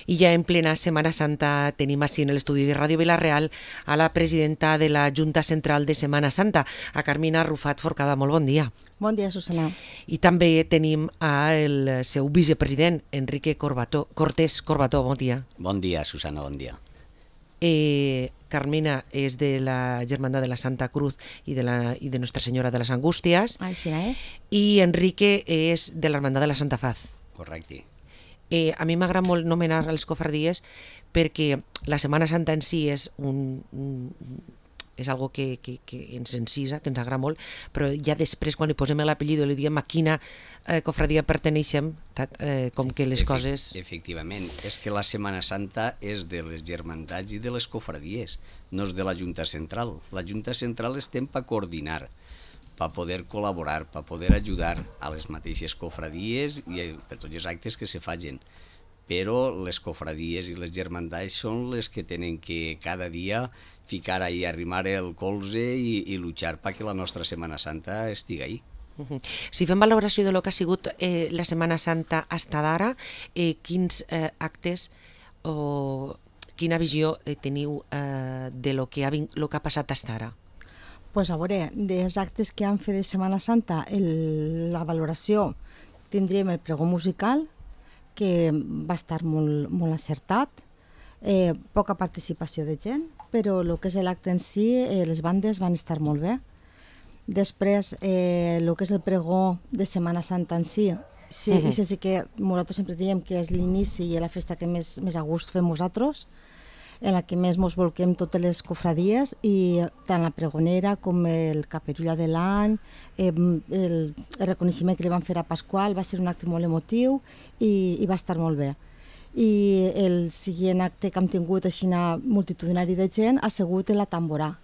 I ja en plena Setmana Santa tenim així en l'estudi de Ràdio Vila-real a la presidenta de la Junta Central de Setmana Santa, a Carmina Rufat Forcada. Molt bon dia. Bon dia, Susana. I també tenim el seu vicepresident, Enrique Cortés Corbató. Bon dia. Bon dia, Susana, bon dia. Carmina és de la Germandad de la Santa Cruz i de Nostra Senyora de les Angústies. Així és. I Enrique és de l'Hermandad de la Santa Faz. Correcte. A mi m'agrada molt nomenar les cofradies perquè la Setmana Santa en si és és algo que ens encisa, que ens agrada molt, però ja després quan li posem l'apellido i li diem a quina cofradia perteneixem, com que les coses... Efectivament, és que la Setmana Santa és de les germandats i de les cofradies, no és de la Junta Central. La Junta Central estem per coordinar, per poder col·laborar, per poder ajudar a les mateixes cofradies i per tots els actes que se facin. Però les cofradies i les germandats són les que tenen que cada dia ficar ahí, arrimar el colze i luchar perquè la nostra Setmana Santa estigui ahí. Si fem valoració de lo que ha sigut la Setmana Santa hasta d'ara, quins actes o quina visió teniu de lo que ha passat hasta ara? Pues a veure, dels actes que han fet de Setmana Santa, la valoració tindríem el pregó musical, que va estar molt acertat, poca participació de gent, però el que és l'acte en si, les bandes van estar molt bé. Després, el que és el pregó de Setmana Santa en si, sí que nosaltres sempre diem que és l'inici i la festa que més a gust fem nosaltres, en la que més ens volquem totes les cofradies, i tant la pregonera com el caperulla de l'any, el reconeixement que li van fer a Pasqual va ser un acte molt emotiu i va estar molt bé. I el següent acte que hem tingut així multitudinari de gent ha sigut la tamborà.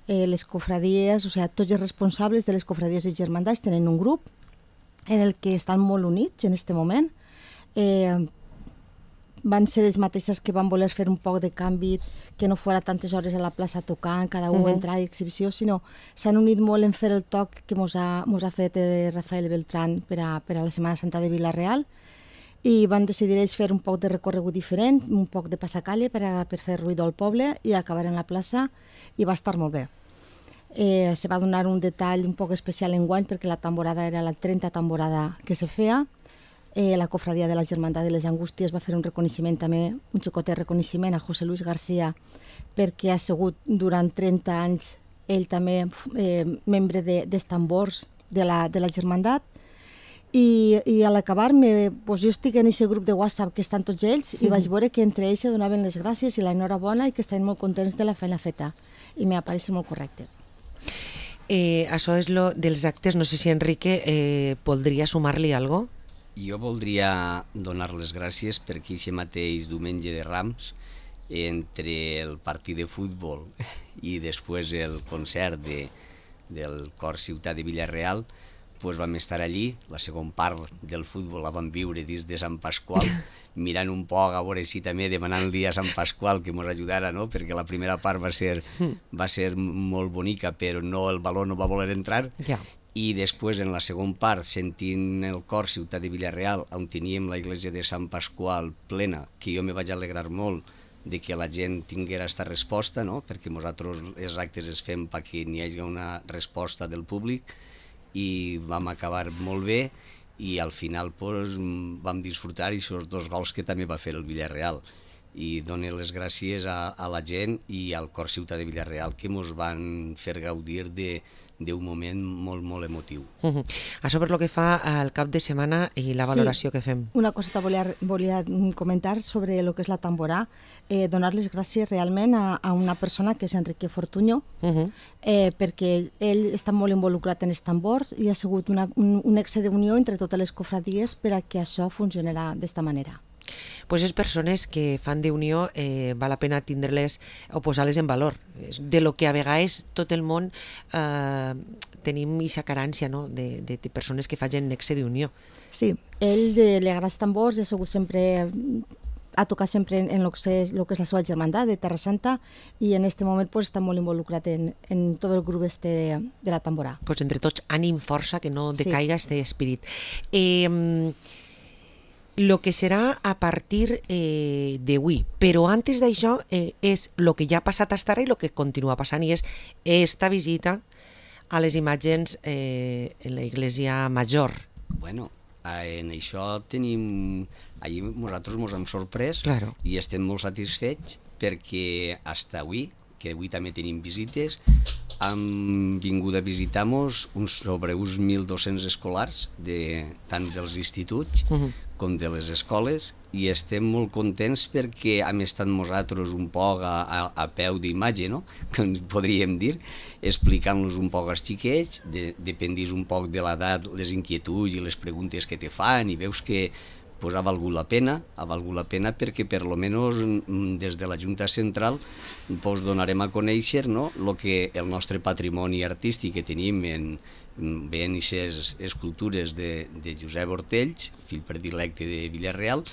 Les cofradies, o sigui, tots els responsables de les cofradies i germandats tenen un grup en el que estan molt units en aquest moment. Van ser les mateixes que van voler fer un poc de canvi, que no fora tantes hores a la plaça tocant, cada un entrar i exhibició, sinó s'han unit molt en fer el toc que mos ha fet Rafael Beltrán per a la Setmana Santa de Vila-real, i van decidir ells fer un poc de recorregut diferent, un poc de passacalle per fer ruïdor al poble i acabar en la plaça, i va estar molt bé. Se va donar un detall un poc especial enguany perquè la tamborada era la 30 tamborada que se feia. La cofradia de la Germandad de les Angústies va fer un reconeixement també, un xicotet reconeixement a José Luis García, perquè ha sigut durant 30 anys ell també membre dels tambors de la Germandat. I a l'acabar, jo estic en aquest grup de WhatsApp que estan tots ells i vaig veure que entre ells se donaven les gràcies i l'enhorabona i que estaven molt contents de la feina feta, i m'ha pareixit molt correcte. Això és lo dels actes. No sé si Enrique voldria sumar-li alguna cosa. Jo voldria donar les gràcies perquè aquest mateix diumenge de Rams, entre el partit de futbol i després el concert del Cor Ciutat de Vila-real, vam estar allí. La segona part del futbol la vam viure dins de Sant Pasqual, mirant un poc a veure si també demanant-li a Sant Pasqual que ens ajudara, no? Perquè la primera part va ser molt bonica, però el baló no va voler entrar. I després, en la segona part, sentint el cor Ciutat de Vila-real, on teníem la església de Sant Pasqual plena, que jo me vaig alegrar molt de que la gent tinguera aquesta resposta, no? Perquè nosaltres els actes els fem perquè n'hi hagi una resposta del públic, i vam acabar molt bé, i al final vam disfrutar aquests 2 gols que també va fer el Villarreal. I dono les gràcies a la gent i al Cor Ciutat de Vila-real que ens van fer gaudir d'un moment molt, molt emotiu. Això per lo que fa al cap de setmana i la valoració que fem. Una coseta volia comentar sobre el que és la tamborà. Donar les gràcies realment a una persona que és Enrique Fortuño, perquè ell està molt involucrat en els tambors i ha sigut un exe d'unió entre totes les cofradies per a que això funcionarà d'esta manera. Pues és persones que fan d'unió, val la pena tindre-les o posar-les en valor. De lo que a vegades tot el món tenim aquesta carència, no? de persones que facin nexe d'unió. Sí, ell li agrada els tambors, ha sigut sempre, ha tocat sempre en el que és la seva germandat de Terra Santa, i en aquest moment està molt involucrat en tot el grup de la tamborà. Pues entre tots, ànim, força, que no decaiga este espírit. Lo que serà a partir d'avui, però antes d'això és el que ja ha passat fins ara i el que continua passant, i és esta visita a les imatges en la Iglesia Major. Bueno, en això tenim... Ahir nosaltres ens hem sorprès Claro. i estem molt satisfets perquè fins avui, que avui també tenim visites, han vingut a visitar-nos sobre uns 1.200 escolars, tant dels instituts com de les escoles, i estem molt contents perquè hem estat nosaltres un poc a peu d'imatge, no? Que podríem dir, explicant-los un poc als xiquets, dependís un poc de l'edat, les inquietuds i les preguntes que te fan, i veus que pues, ha valgut la pena perquè per lo menos des de la Junta Central pues, donarem a conèixer, no? El nostre patrimoni artístic que tenim veient aquestes escultures de Josep Ortells, fill predilecte de Villarreal,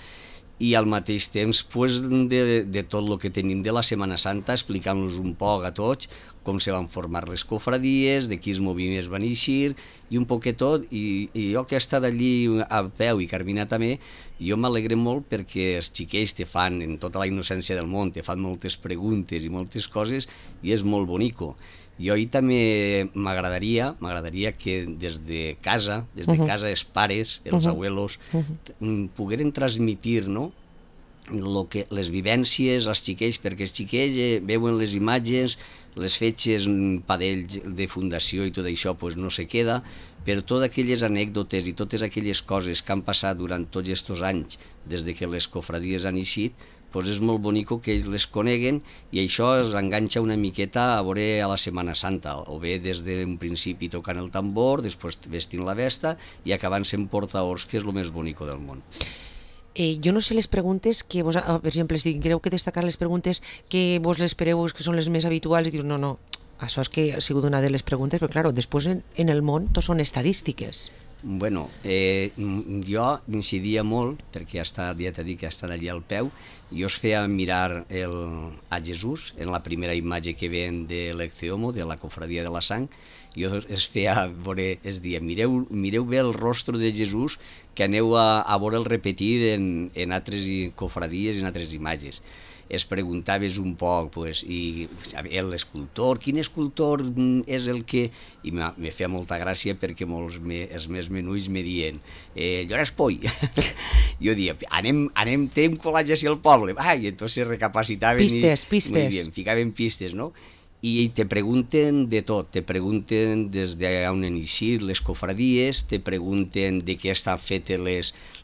i al mateix temps pues, de tot el que tenim de la Setmana Santa, explicant-los un poc a tots com se van formar les cofradies, de quins moviments van eixir, i un poquet tot, i jo que he estat allí a peu, i Carmina també, jo m'alegre molt perquè els xiquets te fan, en tota la innocència del món, te fan moltes preguntes i moltes coses, i és molt bonico. Jo ahir també m'agradaria que des de casa els pares, els abuelos, pogueren transmitir, no?, les vivències als xiquets, perquè els xiquets veuen les imatges, les fetges padells de fundació i tot això pues no se queda, però totes aquelles anècdotes i totes aquelles coses que han passat durant tots aquests anys des de que les cofradies han eixit, pues és molt bonico que ells les coneguen, i això els enganxa una miqueta a veure a la Setmana Santa, o bé des d'un principi tocant el tambor, després vestint la vesta i acabant sent portaors, que és el més bonico del món. Jo no sé les preguntes que vos, per exemple, si creu que destacar les preguntes que vos les espereu, que són les més habituals, i dius, no, això és que ha sigut una de les preguntes, però clar, després en el món tot són estadístiques. Bueno, jo incidia molt, perquè ja t'he dit que ha estat allà al peu, jo es feia mirar a Jesús, en la primera imatge que ven de l'Ecceomo, de la cofradia de la sang, jo es feia veure, es dia, mireu bé el rostre de Jesús, que aneu a veure'l repetit en altres cofradies i en altres imatges. Es preguntaves un poc, pues, i l'escultor, quin escultor és el que... I me feia molta gràcia perquè els més menuts me diuen Llorenç Poi. Jo dia, anem, té un col·legi així al poble. I entonces recapacitaven pistes. Muy bien, ficaven pistes, no? I te pregunten de tot, te pregunten des d'on han eixit les cofradies, te pregunten de què estan fetes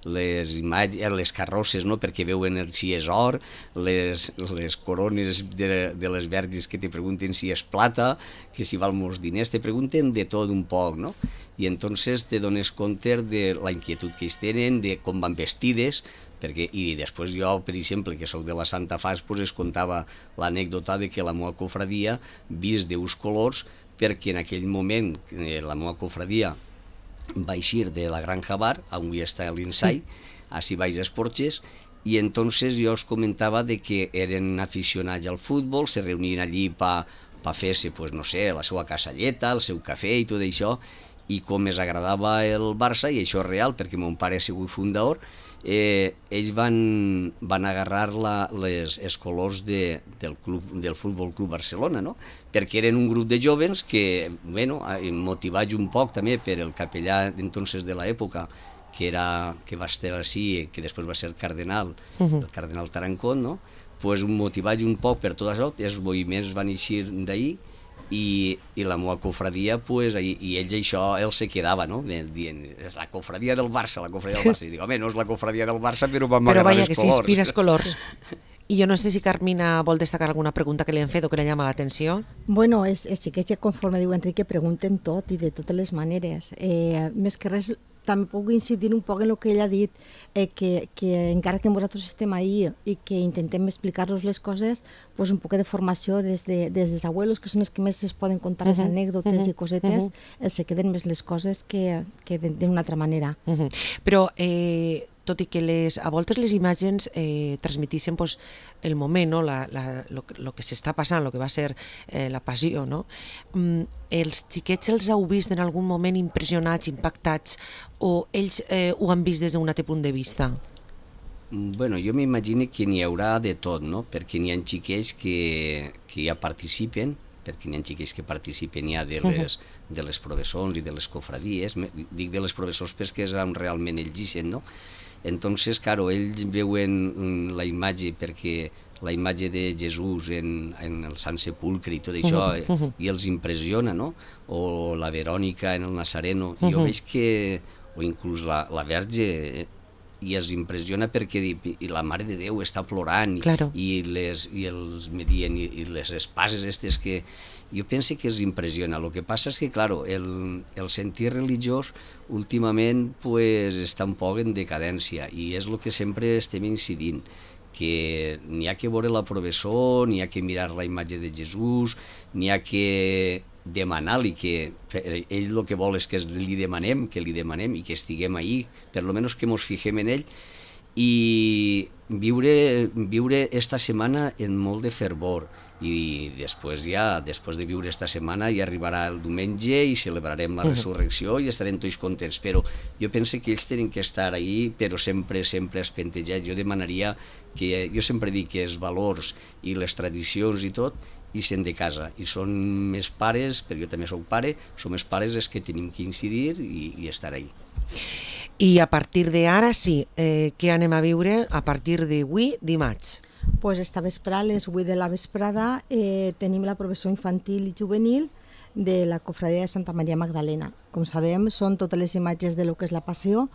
les carrosses, no? Perquè veuen si és or, les corones de les verges que te pregunten si és plata, que si val molts diners, te pregunten de tot un poc, no? I entonces te dones compte de la inquietud que ells tenen, de com van vestides, i després jo, per exemple, que sóc de la Santa Faix, pues es contava l'anècdota de que la meva cofradia vist d'uns colors, perquè en aquell moment la meva cofradia va eixir de la Granja Bar, on avui està l'Insai, així baix als Porxes, i entonces jo us comentava de que eren aficionats al futbol, se reunien allí per fer-se, pues, no sé, la seva casalleta, el seu cafè i tot això, i com es agradava el Barça, i això és real, perquè mon pare ha sigut fundador, ells van agarrar els colors del Futbol Club Barcelona, no? Perquè eren un grup de jóvens que, bueno, motivats un poc també per el capellà entonces de l'època, que va estar així, que després va ser cardenal, el cardenal Tarancón, no? Pues motivats un poc per tot això, els moviments van eixir d'ahir, i la meva cofradia, pues, i ells això se quedava, no? Dient, és la cofradia del Barça, I dic, home, no és la cofradia del Barça, però vam agradar els colors. Però vaja, que s'inspires colors. I jo no sé si Carmina vol destacar alguna pregunta que li han fet o que li llama l'atenció. Bueno, sí que ja conforme diu Enric, pregunten tot i de totes les maneres. Més que res, també puc incidir un poc en el que ell ha dit, que encara que nosaltres estem ahí i que intentem explicar-los les coses, pues un poc de formació des dels abuelos, que són els que més es poden contar les anècdotes i cosetes, se queden més les coses que d'una altra manera. Però tot i que a voltes les imatges transmetixen pues, el moment, no? Lo que s'està passant, el que va ser la passió, no? Els xiquets els heu vist en algun moment impressionats, impactats, o ells ho han vist des d'un altre punt de vista? Bueno, jo m'imagino que n'hi haurà de tot, no? Perquè n'hi ha xiquets que ja participen, perquè n'hi ha xiquets que participen ja de les professors i de les cofradies. Dic de les professors perquè és on realment ells ixen, no? Entonces, claro, ells veuen la imatge, perquè la imatge de Jesús en el Sant Sepulcre i tot això, i els impressiona, no? O la Verònica en el Nazareno. Jo veig que, o inclús la Verge, i es impressiona perquè i la Mare de Déu està plorant, claro. i els medien, i les espases aquestes que... Jo penso que es impressiona. El que passa és que, claro, el sentir religiós últimament pues, està un poc en decadència, i és el que sempre estem incidint, que n'hi ha que veure la professor, n'hi ha que mirar la imatge de Jesús, n'hi ha que demanar-li, que ell el que vol és que li demanem i que estiguem ahí, per lo menos que mos fixem en ell, i viure esta setmana en molt de fervor, i després de viure esta setmana ja arribarà el diumenge i celebrarem la resurrecció i estarem tots contents, però jo penso que ells tenen que estar ahí, però sempre espentejats. Jo demanaria que, jo sempre dic que els valors i les tradicions i tot ixen de casa, i són més pares, perquè jo també soc pare, som més pares els que tenim que incidir i estar ahí. I a partir d'ara, sí, què anem a viure a partir d'avui, dimarts? Pues esta vesprada, a les 8 de la vesprada, tenim la professó infantil i juvenil de la cofradia de Santa Maria Magdalena. Com sabem, són totes les imatges de lo que és la passió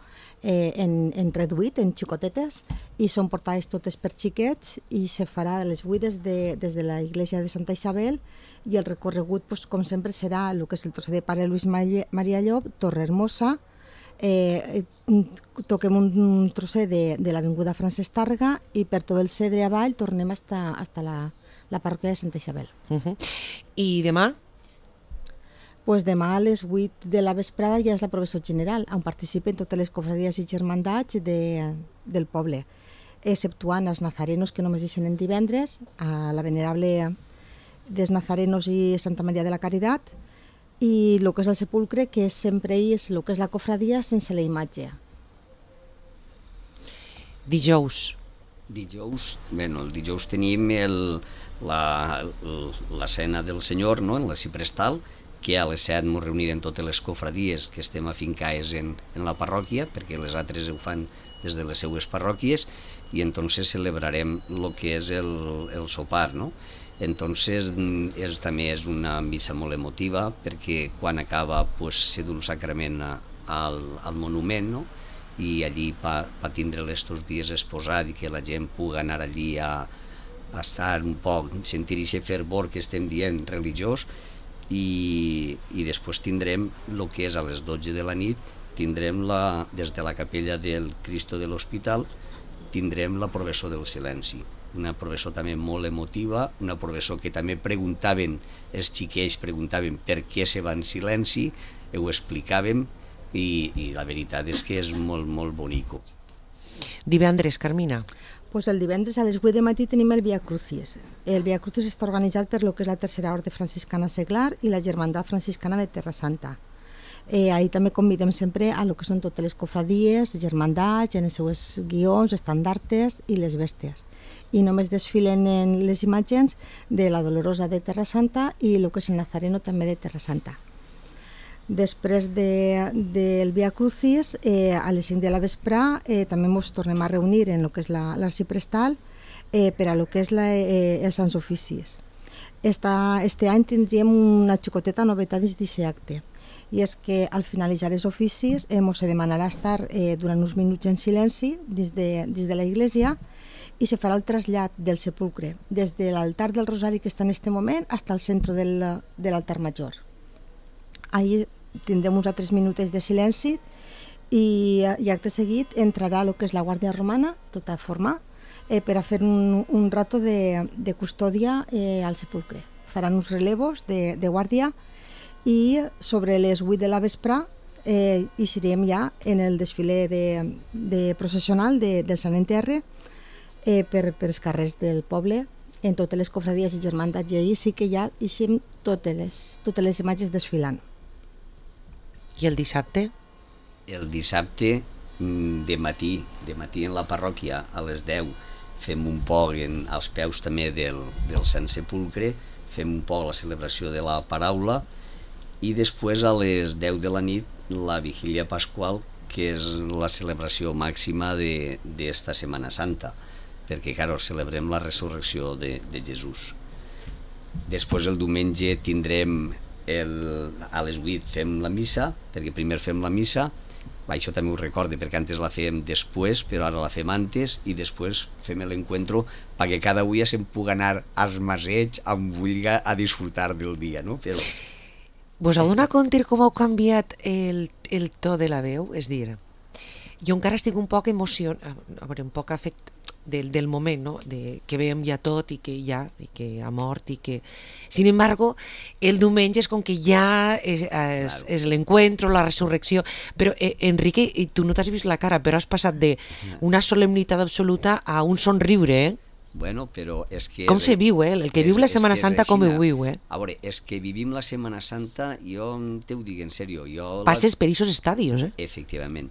en reduït, en xicotetes, i són portades totes per xiquets, i se farà a les 8 des de la iglesia de Santa Isabel, i el recorregut, pues, com sempre, serà el que és el trosset de Pare Luis Maria Llop, Torre Hermosa, toquem un trosset de l'avinguda Francesc Tàrrega, i per tot el Cedre avall tornem hasta la parròquia de Santa Isabel. I demà? Pues demà a les 8 de la vesprada ja és la professó general, on participen totes les cofradies i germandats del poble, exceptuant els nazarenos, que només deixen en divendres, a la venerable dels nazarenos i Santa Maria de la Caritat, i el que és el sepulcre, que sempre és el que és la cofradia sense la imatge. Dijous, bueno, el dijous tenim la cena del Senyor, no?, en la Ciprestal, que a les 7 ens reunirem totes les cofradies que estem afincades en la parròquia, perquè les altres ho fan des de les seues parròquies, i entonces celebrarem el que és el sopar, no? Entonces també és una missa molt emotiva, perquè quan acaba pues, se du el sacrament al monument, no? I allí pa tindre estos dies exposat i que la gent pugui anar allí a estar un poc, sentir aquest fervor que estem dient religiós, i després tindrem el que és a les 12 de la nit, tindrem des de la capella del Cristo de l'Hospital, tindrem la professó del silenci, una professó també molt emotiva, una professó que també els xiquets preguntaven per què se va en silenci, ho explicàvem, i la veritat és que és molt, molt bonico. divendres, Carmina? Pues el divendres a les 8 de matí tenim el Via Crucis. El Via Crucis està organitzat per lo que és la Tercera Orde Franciscana Seglar i la Germandat Franciscana de Terra Santa. Ahí també convidem sempre a lo que són totes les cofradies, germandats, en els seus guions, estandartes i les bèsties. I només desfilen en les imatges de la Dolorosa de Terra Santa i el que és el Nazareno també de Terra Santa. Després del Via Crucis, a les 5 de la vesprà, també ens tornem a reunir en el que és l'arxiprestal per a lo que és els Sants Oficis. Este any tindríem una xicoteta novetat dins d'aquest acte, i és que al finalitzar els oficis ens demanarà estar durant uns minuts en silenci dins de la iglesia, i se farà el trasllat del sepulcre des de l'altar del Rosari que està en aquest moment fins al centre de l'altar major. Ahí tindrem uns altres minuts de silenci i acte seguit entrarà el que és la Guàrdia Romana, tota forma, per a fer un rato de custòdia al sepulcre. Faran uns relevos de guàrdia i sobre les 8 de la vesprà eixirem ja en el desfile de processional del Sant Enterre per els carrers del poble, en totes les cofradies i germandats, i ahir sí que ja eixim totes les imatges desfilant. I el dissabte? El dissabte de matí en la parròquia a les 10 fem un poc als peus també del Sant Sepulcre, fem un poc la celebració de la paraula i després a les 10 de la nit la vigília pasqual, que és la celebració màxima d'esta Setmana Santa, perquè, claro, celebrem la resurrecció de Jesús. Després el diumenge tindrem a les 8 fem la missa, perquè primer fem la missa, això també ho recorde perquè antes la fèiem després, però ara la fem antes i després fem l'encuentro perquè cada dia se'n pugui anar als masets amb vulga a disfrutar del dia, no? Però... Vos heu donat compte com heu canviat el to de la veu? És dir, jo encara estic un poc un poc afectat del moment, no? Que veiem ja tot i que ha mort i que... Sin embargo, el diumenge és com que ja és l'encuentro, la resurrecció, però Enrique, tu no t'has vist la cara, però has passat d'una solemnitat absoluta a un somriure, eh? Bueno, però és que... Com se viu, eh? El que viu la Setmana Santa com ho viu, eh? A veure, és que vivim la Setmana Santa, jo te ho dic en sèrio, passes per aquests estadios, eh? Efectivament,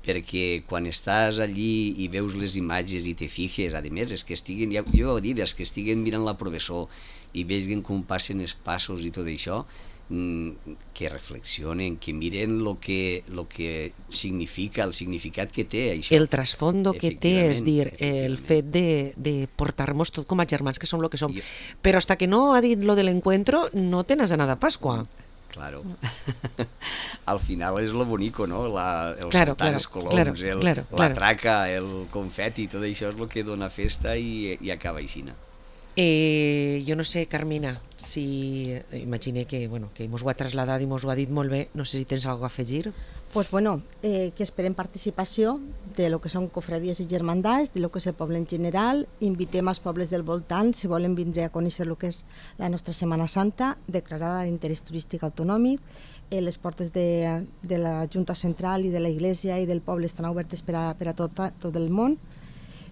perquè quan estàs allí i veus les imatges i te fijes, a més, és que estiguen, jo he dit, els que estiguen mirant la professor i vegin com passen els passos i tot això, que reflexionen, que miren el que significa, el significat que té això. El trasfondo que té, és dir, el fet de portar-nos tot com a germans que som el que som. Però hasta que no ha dit lo de l'encuentro, no te n'has anat a Pasqua. Claro. Al final és lo bonico, no? Els saltants coloms, la traca, el confeti, tot això és el que dona festa i acaba aixina. Jo no sé, Carmina, si imagine que mos ho ha trasladat i mos ho ha dit molt bé, no sé si tens alguna cosa a afegir. Pues bueno, que esperem participació de lo que són cofradies i germandats, de lo que és el poble en general. Invitem als pobles del voltant, si volen vindre a conèixer el que és la nostra Setmana Santa, declarada d'interès turístic autonòmic. Les portes de la Junta Central i de la Iglesia i del poble estan obertes per a tot el món.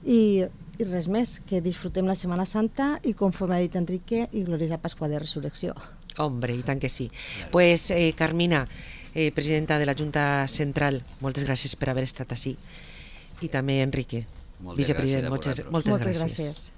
I res més, que disfrutem la Setmana Santa i, conforme ha dit Enrique, i gloriosa Pasqua de Resurrecció. Hombre, i tant que sí. Pues Carmina, presidenta de la Junta Central, moltes gràcies per haver estat així. I també Enrique, vicepresident, moltes gràcies.